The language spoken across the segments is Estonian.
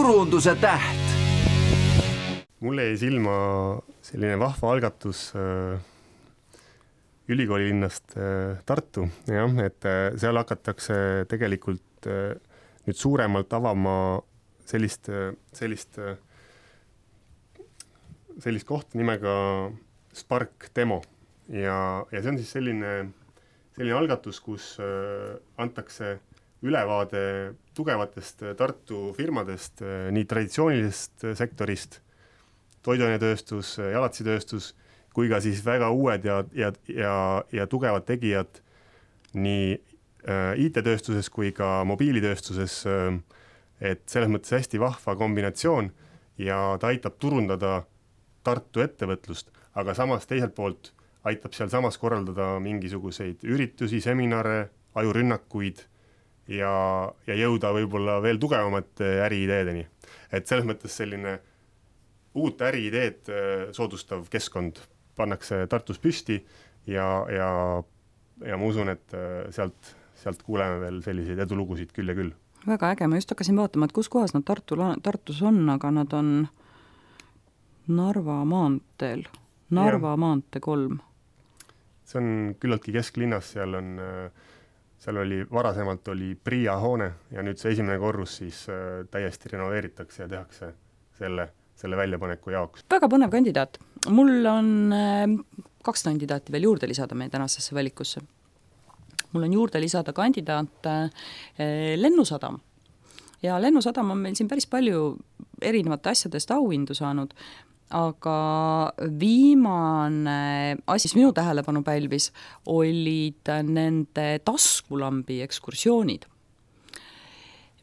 turunduse täht. Mulle jäi silma selline vahva algatus ülikooli linnast Tartu, jah, et seal hakatakse tegelikult nüüd suuremalt avama sellist kohta nimega Spark Demo ja see on siis selline algatus, kus antakse ülevaade tugevatest Tartu firmadest, nii traditsioonilisest sektorist, toiduainetööstus, jalatsitööstus, kui ka siis väga uued ja tugevad tegijad nii IT-tööstuses kui ka mobiilitööstuses, et selles mõttes hästi vahva kombinatsioon ja ta aitab turundada Tartu ettevõtlust, aga samas teiselt poolt aitab seal samas korraldada mingisuguseid üritusi, seminare, ajurünnakuid ja jõuda võib-olla veel tugevamate äriideedeni. Et selles mõttes selline uut äriideed soodustav keskkond pannakse Tartus püsti ja ma usun, et sealt kuuleme veel selliseid edulugusid küll ja küll. Väga äge, ma just hakkasin vaatama, et kus kohas nad Tartus on, aga nad on Narva maanteel, maantee 3. See on küllaltki kesklinnas, seal oli varasemalt Priia hoone ja nüüd see esimene korrus siis täiesti renoveeritakse ja tehakse selle väljapaneku jaoks. Väga põnev kandidaat. Mul on 2 kandidaati veel juurde lisada meie tänasesse valikusse. Mul on juurde lisada kandidaat Lennusadam. Ja Lennusadam on meil siin päris palju erinevate asjadest auhindu saanud, aga viimane asi, mis minu tähelepanu pälvis, olid nende taskulambi ekskursioonid.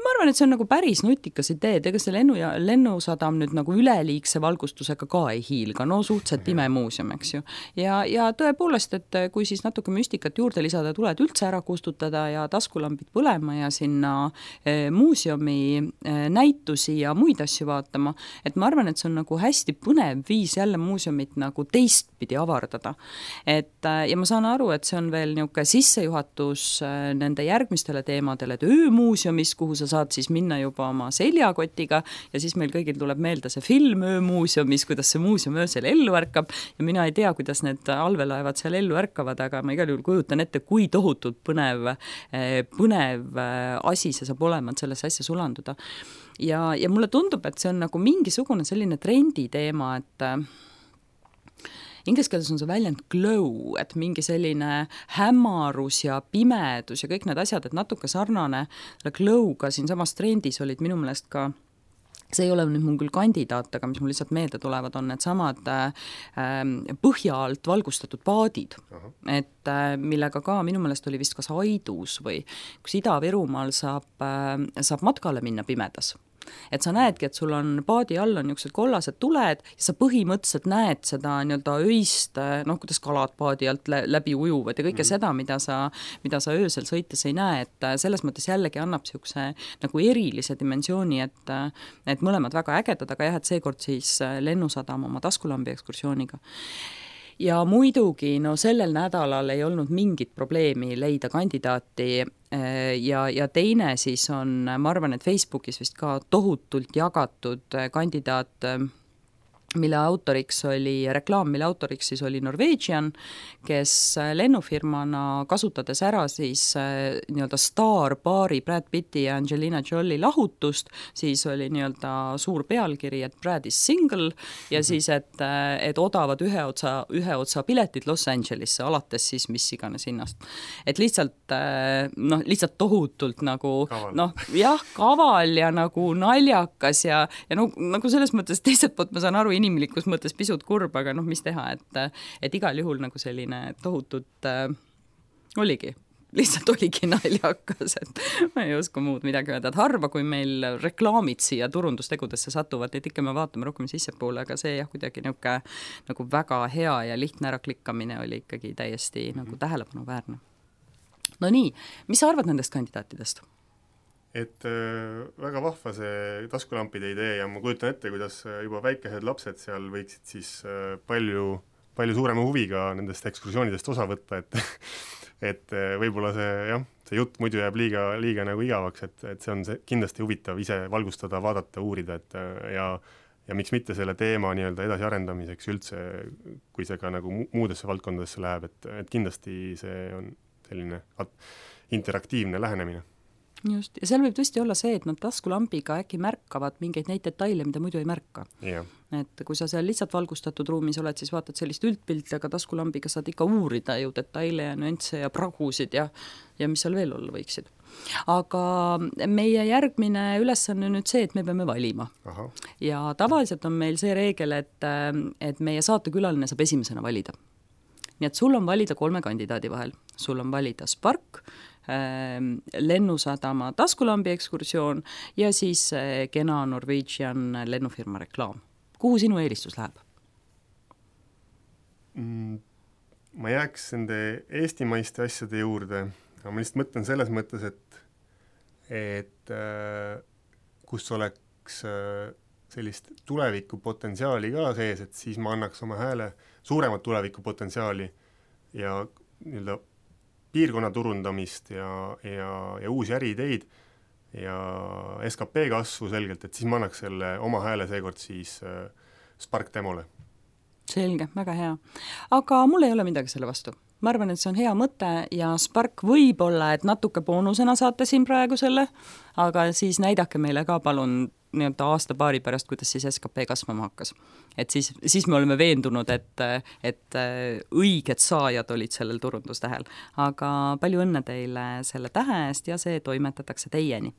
Ma arvan, et see on nagu päris nutikas idee, ega see lennusadam nüüd nagu üleliigse valgustusega ka ei hiilga, no suhteliselt pime muuseum, eks ju. Ja tõepoolest, et kui siis natuke müstikat juurde lisada, tuled üldse ära kustutada ja taskulambid põlema ja sinna muuseumi näitusi ja muid asju vaatama, et ma arvan, et see on nagu hästi põnev viis jälle muuseumit nagu teistpidi avardada. Ja ma saan aru, et see on veel niuke sissejuhatus nende järgmistele teemadele, et öömuuseumis, kuhu sa saad siis minna juba oma seljakotiga ja siis meil kõigil tuleb meelde see film öömuuseumis, kuidas see muuseum öösel ellu ärkab ja mina ei tea, kuidas need allveelaevad seal ellu ärkavad, aga ma igal juhul kujutan ette, kui tohutult põnev asi see saab olema, et sellesse asja sulanduda. Ja mulle tundub, et see on nagu mingisugune selline trendi teema, et inglise keeles on see väljend glow, et mingi selline hämarus ja pimedus ja kõik need asjad, et natuke sarnane glow'ga siin samas trendis olid minu meelest ka, see ei ole nüüd mul küll kandidaat, aga mis mul lihtsalt meelde tulevad, on need samad põhja alt valgustatud paadid, et millega ka minu meelest oli vist kas Aidus või kus Ida-Virumaal saab matkale minna pimedas. Et sa näedki, et sul on paadi all on niisugused kollased tuled ja sa põhimõtteliselt näed seda nii-öelda öist, kuidas kalad paadi alt läbi ujuvad ja kõike seda, mida sa öösel sõites ei näe, et selles mõttes jällegi annab niisuguse nagu erilise dimensiooni, et mõlemad väga ägedad, aga jah, et seekord siis Lennusadam oma taskulambi ekskursiooniga. Ja muidugi, sellel nädalal ei olnud mingit probleemi leida kandidaati ja teine siis on, ma arvan, et Facebookis vist ka tohutult jagatud kandidaat, mille autoriks siis oli Norwegian, kes lennufirmana kasutades ära siis nii-öelda staarpaari Brad Pitti ja Angelina Jolie lahutust, siis oli nii-öelda suur pealkiri, et Brad is single ja siis, et odavad ühe otsa piletid Los Angelesse, alates siis mis iganes hinnast. Et lihtsalt tohutult nagu kaval ja nagu naljakas ja nagu selles mõttes teiselt poolt ma saan aru, inimlikus mõttes pisut kurb, aga mis teha, et igal juhul nagu selline tohutult oligi naljakas, et ma ei oska muud midagi öelda, et harva, kui meil reklaamid siia turundustegudesse satuvad, et ikka me vaatame rohkem sissepoole, aga see jah, kuidagi nagu väga hea ja lihtne äraklikkamine oli ikkagi täiesti nagu tähelepanuväärne. No nii, mis sa arvad nendest kandidaatidest? Et väga vahva see taskulampide idee ja ma kujutan ette, kuidas juba väikesed lapsed seal võiksid siis palju suurema huviga nendest ekskursioonidest osa võtta, et võib-olla see jutt muidu jääb liiga nagu igavaks, et see on kindlasti huvitav ise valgustada, vaadata, uurida, et ja miks mitte selle teema nii-öelda edasiarendamiseks üldse, kui see ka nagu muudesse valdkondadesse läheb, et kindlasti see on selline interaktiivne lähenemine. Just, ja seal võib tõesti olla see, et nad taskulambiga äkki märkavad mingeid neid detaile, mida muidu ei märka. Yeah. Et kui sa seal lihtsalt valgustatud ruumis oled, siis vaatad sellist üldpilti, aga taskulambiga saad ikka uurida ju detaile ja nüansse ja pragusid ja mis seal veel olla võiksid. Aga meie järgmine ülesanne on nüüd see, et me peame valima. Aha. Ja tavaliselt on meil see reegel, et meie saatekülaline saab esimesena valida. Nii et sul on valida 3 kandidaadi vahel. Sul on valida Spark, Lennusadama taskulambi ekskursioon ja siis kena Norwegian lennufirma reklaam. Kuhu sinu eelistus läheb? Ma jääks nende eestimaiste asjade juurde, aga ma lihtsalt mõtlen selles mõttes, et kus oleks sellist tulevikupotentsiaali ka sees, et siis ma annaks oma hääle suuremat tulevikupotentsiaali ja nii-öelda piirkonna turundamist ja uusi äriideid ja SKP kasvu selgelt, et siis ma annaks selle oma hääle seekord siis Spark Demole. Selge, väga hea. Aga mul ei ole midagi selle vastu. Ma arvan, et see on hea mõte ja Spark võib-olla, et natuke boonusena saate siin praegu selle, aga siis näidake meile ka palun nii-öelda aasta-paari pärast, kuidas siis SKP kasvama hakkas. Et siis me oleme veendunud, et õiged saajad olid sellel turundustähel. Aga palju õnne teile selle tähe eest ja see toimetatakse teieni.